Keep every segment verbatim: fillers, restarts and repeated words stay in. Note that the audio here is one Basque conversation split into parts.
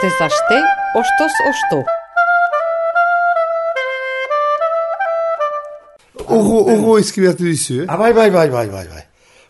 Astez aste, ostoz osto. Oro, oro eskibatu dizu, eh? Ah, bai, bai, bai, bai, bai, bai.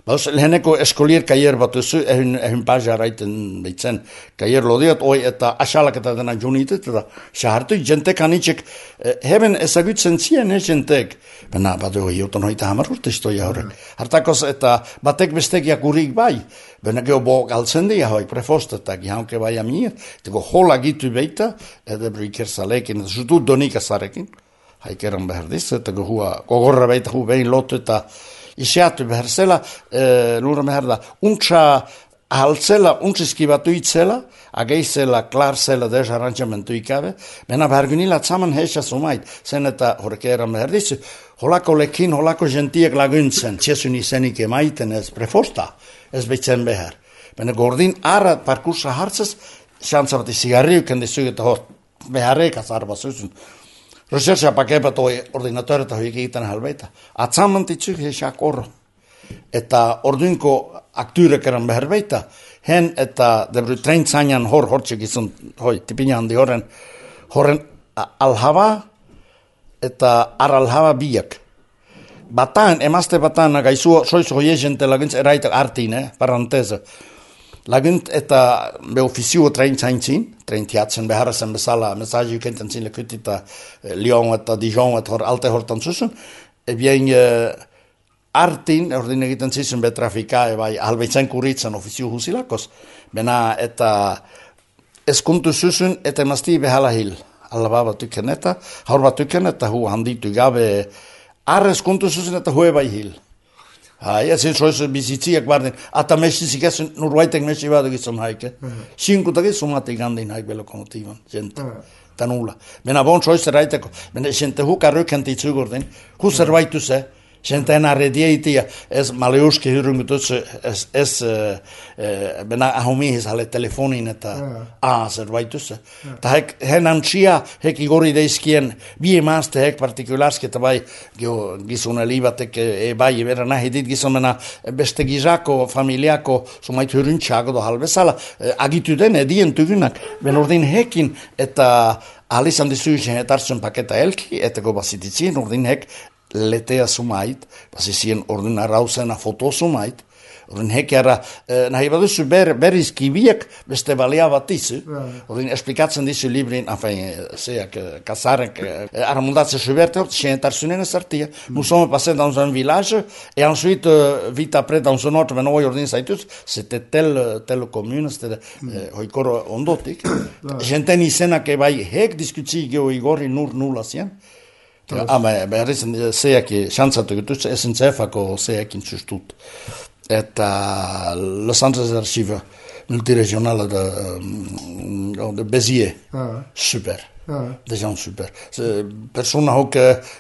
Bauz, leheneko eskolier kaier bat duzu, ehun, ehun pazia raiten behitzen kaier lodiot, oi eta asalak eta dena junitet, eta sahartu jentek anitxek, eh, heben ezagutzen zien, eh, jentek. Bena, bat hoi, jotan hoita hamar urte istoia horrek. Hartakoz eta batek bestek jakurik bai, bena geho bo galtzen dia hoi, prefostetak, jaunke bai amir, tego hola gitu beita, edo briker zalekin, zutu donik azarekin, haikeran behar diz, eta gohua, gogorra beita hu behin lotu eta Iseatu behar zela, e, lura behar da, untsa ahaltzela, untsa itzela, ageizela, klar zela, dez arrantzamentu ikabe, bena behar gunila tzaman heisa sumait, zen eta horrek eran behar dizu, holako lekin, holako gentiek laguntzen, txesun izenik emaiten ez prefosta, ez behitzen behar. Bena gordin ara parkursa hartzez, xantza bat izigarriuken dizuget, hor, beharrek azarba zuzun. Rechercha pakepat oi ordinatoret hoi egiten halbeita. Atzamantitzuk hesak orro. Eta orduinko akturek eran behar beita. Hen eta debru treintzainan hor hortxek izun, hoi, tipina handi horren, horren alhaba eta aralhaba biak. Bataan, emazte bataan, gaizu soizu hoi egente laguntz eraitak artin, eh, paranteze. Lagunt eta be ofizio treintzaintzin, treintiatzen beharazen bezala, mesaji ukenten zin lekutita Lyon eta Dijon eta hor alte hortan zuzun, ebien uh, artin, ordin egiten zizun be trafika, ebai halbeitzen kuritzen ofizio husilakos, bena eta eskuntu zuzun eta emazti behala hil, alaba batuken eta, haur batuken eta hu handitu gabe, arre eskuntu zuzun eta hue bai hil. Hai, ez ez soiz bizitziak barden, ata mesizik ez nurbaitek mesi badu gizon haike. Sinkutak ez sumatik gandin haik belokomotiban, jente, tanula. Bena bon soiz eraiteko, bena jente huk arrukenti itzugordin, hu zerbaitu ze, jente ena redieitia, ez maleuski hirungutuz, ez, ez, bena ahumihiz hale telefonin eta, ah, zerbaitu ze. Ta hek, hen antxia, hek igori deizkien, bi emazte hek partikularski, eta bai, gizun elibatek, e bai, ebera nahi dit gizun, bena beste gizako, familiako, sumait hurintxago do halbezala, agitu den edien tugunak, ben ordin hekin, eta alizan dizuizen etartzen paketa elki, eta gobazititzien, ordin hek, letea sumait, basizien ordin arauzena foto sumait, ordin hekiara, eh, nahi baduzu ber, berizkibiek beste balia bat dizu, ordin esplikatzen dizu librin, afain, zeak, kasarek, eh, aramundatze suberte, xen tarsunen esartia, nous sommes passés dans un village, et ensuite, euh, vite après, dans un autre, ben oi ordin zaitus, c'était telle, telle commune, c'était, eh, hoikoro ondotik, jenten izenak ebai hek diskutzi geho igorri nur nula zien, ama behar izan zeak xantzatu gutuz, esen zefako zeak intzustut. Eta Los Angeles Archive multiregionale de, de Béziers, super. Ah. De gens super. Persona hok,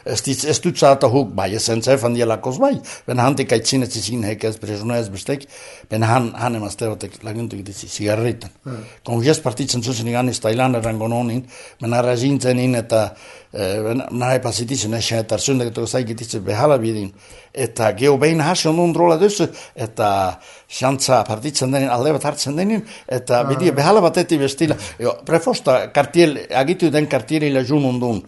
ez dut zata hok, bai, esen zefan dielakos bai, ben hantik aitzine zizin hek ez presuna ez bestek, ben han, han emasterotek laguntuk dizi zigarritan. Ah. Kongies partitzen zuzen iganis Tailan erangononin, ben arrazintzen eta ben nahi pasititzen esen eta arzundeketok zaigititze behala bidin, eta geho behin hasion undrola duzu, eta xantza partitzen denin, alde bat hartzen denin, eta ah. Bidie behala bateti bestila, jo, prefosta kartiel, agitu den kartieli lejun undun,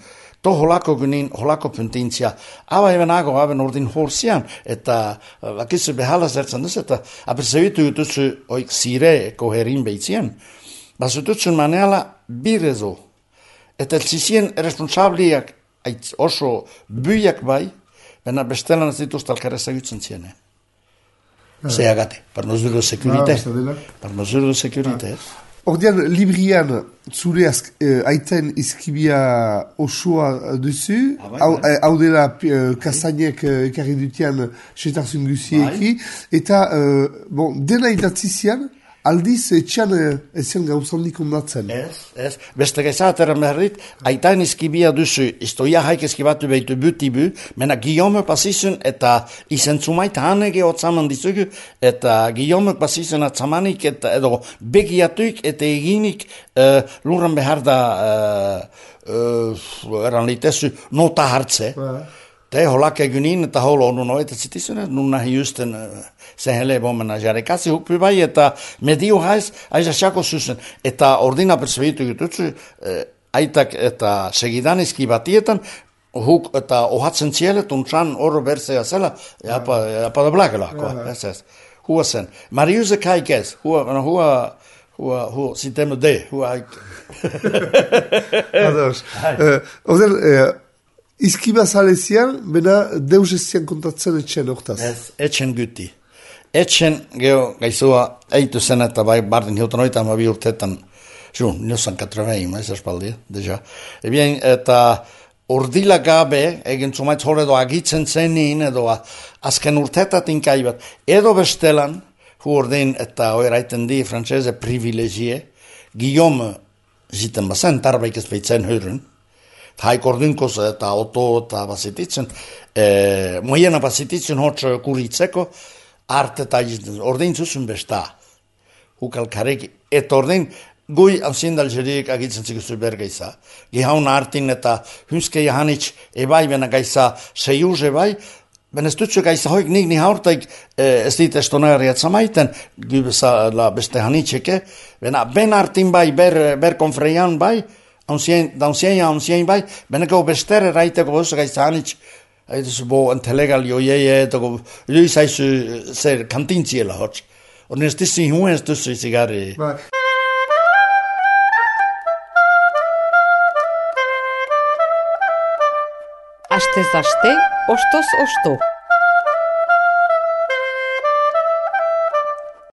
to holako gunin, holako puntintzia, aba eben ago, aben ordin horzian, eta bakizu behala zertzen duz, eta aperzebitu jutuzu oik zire koherin behitzien, basututsun maneala birezo, eta elzizien responsabliak oso buiak bai, bena bestelan ez dituzte alkarez egutzen ziene. Zeagate, par mesure de sécurité. Par mesure de sécurité. Ordean, librian, zure azk, eh, aiten izkibia osoa duzu, hau ah, eh, dela eh, kastainek eh, ekarri dutian setarzun guzieki, eta, eh, bon, dena idatzizian, aldiz etxean ezien gauzandik ondatzen. Ez, ez. Beste gaizateren behardit, aitain izkibia duzu, istoia haik izkibatu behitu buti-bu, mena Guillaume pasizun eta izentzumait hanege otzaman dizugu, eta Guillaume pasizun atzamanik eta edo begiatuik eta eginik uh, luran behar da uh, uh, eran litezu nota hartze. Te holak egunin, eta holo onu noita zitizune, nuna hiusten sehenle bomena jarekasi hukpi bai, eta medio haiz, aiza xako zuzen, eta ordina percebitu jututzu, aitak eta segidanizki batietan, huk eta ohatzen zielet, untran oro berzea zela, japa, japa da blagelako, ez ez. Hua zen. Mariuse kaikez, hua, hua, hua, hua, sitemu de, hua haik. Ados. Ozer, izkiba zalezian, bena deus ez zian kontatzen etxen hortaz. Ez, etxen guti. Etxen, geho, gaizua, eitu zen eta bai, bardin hilton oita, ma bi urtetan, zu, niosan katravein, ez espaldi, deja. Ebien, eta urdila gabe, egin zumaitz hor edo agitzen zenin, edo azken urtetatin kaibat, edo bestelan, hu ordin eta oiraiten di, frantzese privilegie, Guillaume ziten bazen, tarbaik ez beitzen hyrun, haik ordinkoz eta oto eta basititzen, e, moiena basititzen hotz kuritzeko, arte eta ordin zuzun besta, hukalkarek, eta ordin, gui hausindal jerik agitzen zikuzu bergeiza, gihaun artin eta hunske jahanitz ebai bena gaiza seiuz ebai, ben ez dutzu gaiza hoik nik ni haurtaik ez dit estonari atzamaiten, gubesa la beste hanitzeke, bena ben artin bai, ber, ber konfreian bai, daunzien ja daunzien bai, bena gau bestere raiteko bozu gaiza hanitz, aizu bo entelegal joieie, etoko luis aizu zer kantintziela hotz. Orden ez dissi huen ez dutzu izigari. Bai. Astez aste, ostoz osto.